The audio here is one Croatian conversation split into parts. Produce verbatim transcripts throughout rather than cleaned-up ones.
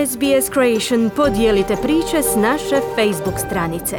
S B S Creation podijelite priče s naše Facebook stranice.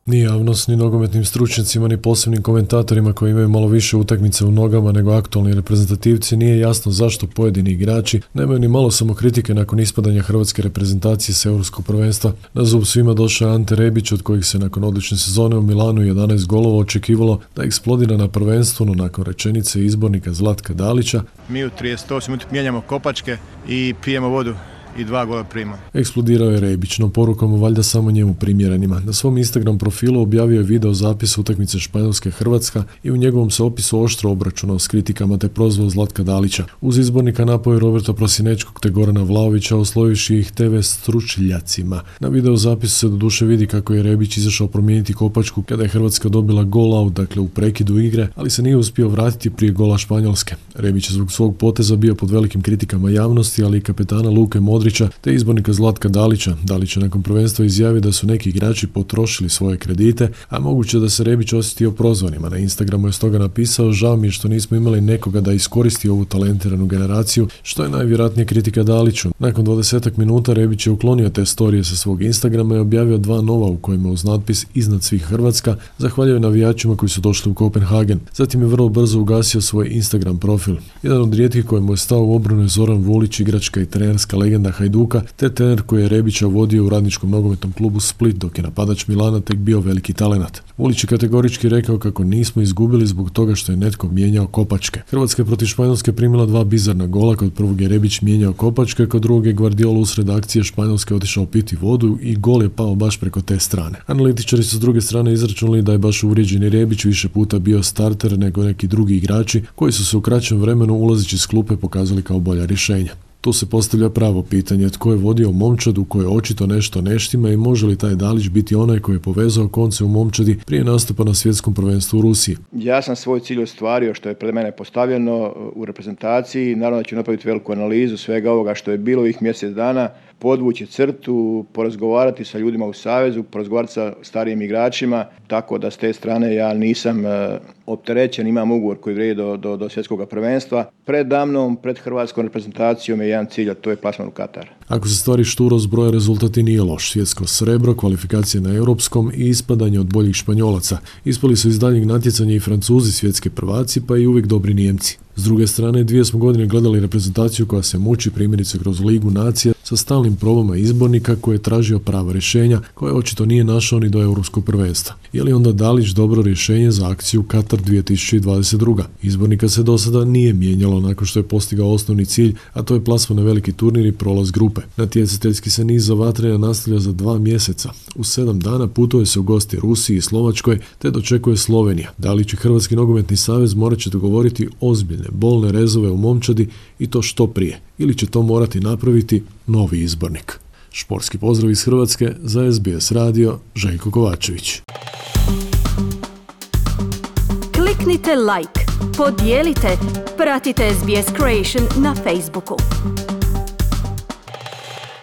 Ni javnost, ni nogometnim stručnjacima, ni posebnim komentatorima koji imaju malo više utakmice u nogama nego aktualni reprezentativci nije jasno zašto pojedini igrači nemaju ni malo samokritike nakon ispadanja hrvatske reprezentacije s europskog prvenstva. Na zub svima došao je Ante Rebić, od kojih se nakon odlične sezone u Milanu jedanaest golova očekivalo da eksplodira na prvenstvu, no nakon rečenice izbornika Zlatka Dalića: mi u trideset osam minuta mijenjamo kopačke i pijemo vodu i dva gola prima. Eksplodirao je Rebić, no porukom valjda samo njemu primjerenima. Na svom Instagram profilu objavio je video zapis utakmice Španjolske-Hrvatska i u njegovom se opisu oštro obračunao s kritikama te prozvao Zlatka Dalića. Uz izbornika napao je Roberta Prosinečkog te Gorana Vlaovića, oslovivši ih te ve stručnjacima. Na video zapisu se doduše vidi kako je Rebić izašao promijeniti kopačku kada je Hrvatska dobila gol out, dakle u prekidu igre, ali se nije uspio vratiti prije gola Španjolske. Rebić je zbog svog poteza bio pod velikim kritikama javnosti, ali i kapetana Luke Modrića te izbornika Zlatka Dalića. Dalić je nakon prvenstva izjavio da su neki igrači potrošili svoje kredite, a moguće da se Rebić osjetio prozvanima. Na Instagramu je stoga napisao: žao mi je što nismo imali nekoga da iskoristi ovu talentiranu generaciju, što je najvjerojatnije kritika Daliću. Nakon dvadesetak minuta Rebić je uklonio te storije sa svog Instagrama i objavio dva nova u kojima uz natpis "Iznad svih Hrvatska" zahvaljuje navijačima koji su došli u Kopenhagen. Zatim je vrlo brzo ugasio svoj Instagram profil. Jedan od rijetkih kojemu je stao u obranu je Zoran Vulić, igračka i trenerska legenda Hajduka, te trener koji je Rebića vodio u radničkom nogometnom klubu Split dok je napadač Milana tek bio veliki talenat. Vulić je kategorički rekao kako nismo izgubili zbog toga što je netko mijenjao kopačke. Hrvatska je protiv Španjolske primila dva bizarna gola, kod prvog je Rebić mijenjao kopačke, kod drugog je Guardiola usred akcije Španjolske otišao piti vodu i gol je pao baš preko te strane. Analitičari su s druge strane izračunali da je baš uvrijeđeni Rebić više puta bio starter nego neki drugi igrači koji su se u kraćem vremenu ulazeći s klupe pokazali kao bolja rješenja. Tu se postavlja pravo pitanje: tko je vodio momčadu koje očito nešto ne štima i može li taj Dalić biti onaj koji je povezao konce u momčadi prije nastupa na svjetskom prvenstvu u Rusiji? Ja sam svoj cilj ostvario što je pred mene postavljeno u reprezentaciji. Naravno da ću napraviti veliku analizu svega ovoga što je bilo ih mjesec dana, podvući crtu, porazgovarati sa ljudima u savezu, porazgovarati sa starijim igračima, tako da s te strane ja nisam e, opterećen, imam ugovor koji vrijedi do, do, do svjetskog prvenstva. Pred damnom, pred hrvatskom reprezentacijom je jedan cilj, a to je plasman u Katar. Ako se stvari šturo zbroje, rezultat i nije loš. Svjetsko srebro, kvalifikacije na europskom i ispadanje od boljih Španjolaca. Ispali su iz daljnjeg natjecanja i Francuzi, svjetski prvaci, pa i uvijek dobri Nijemci. S druge strane, dvije smo godine gledali reprezentaciju koja se muči primjerice kroz Ligu nacija sa stalnim probama izbornika koji je tražio prava rješenja koje očito nije našao ni do europskog prvenstva. Je li onda Dalić dobro rješenje za akciju Katar dvije tisuće dvadeset druga? Izbornika se do sada nije mijenjalo nakon što je postigao osnovni cilj, a to je plasman na veliki turnir i prolaz grupe. Natjecateljski se niz za vatrena nastavlja za dva mjeseca. U sedam dana putuje se u gosti Rusiji i Slovačkoj te dočekuje Slovenija. Dalić i Hrvatski nogometni savez morat će dogovoriti ozbiljne bolne rezove u momčadi i to što prije, ili će to morati napraviti novi izbornik. Športski pozdrav iz Hrvatske za S B S radio, Željko Kovačević. Kliknite like, podijelite, pratite S B S Creation na Facebooku.